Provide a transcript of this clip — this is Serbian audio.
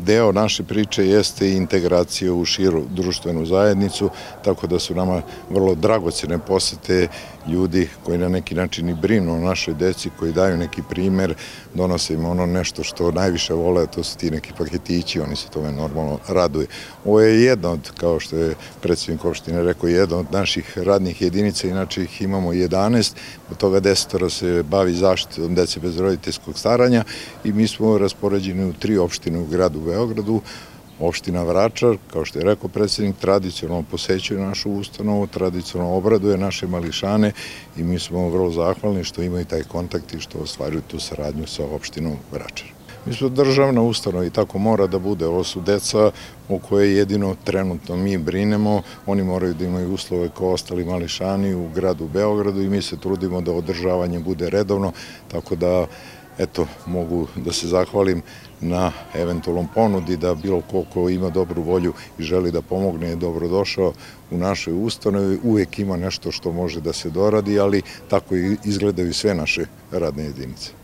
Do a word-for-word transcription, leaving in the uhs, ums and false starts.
deo naše priče jeste i integracija u širu društvenu zajednicu, tako da su nama vrlo dragocene posete ljudi koji na neki način i brinu o našoj deci, koji daju neki primer, donose im ono nešto što najviše vole, a to su ti neki paketići, oni se tome normalno raduju. Ovo je jedna od, kao što je predsjednik opštine rekao, jedna od naših radnih jedinica, inače ih imamo jedanaest, od toga desetoro se bavi zaštitom dece bez roditeljskog staranja i mi smo raspoređeni u tri opštine u gradu Beogradu. Opština Vračar, kao što je rekao predsjednik, tradicionalno posećuje našu ustanovu, tradicionalno obraduje naše mališane i mi smo vrlo zahvalni što imaju taj kontakt i što ostvaruju tu saradnju sa opštinom Vračar. Mi smo državna ustanova i tako mora da bude. Ovo su deca o koje jedino trenutno mi brinemo. Oni moraju da imaju uslove kao ostali mališani u gradu Beogradu i mi se trudimo da održavanje bude redovno, tako da eto, mogu da se zahvalim na eventualnom ponudi da bilo ko ko ima dobru volju i želi da pomogne je dobrodošao u našoj ustanovi. Uvijek ima nešto što može da se doradi, ali tako izgledaju sve naše radne jedinice.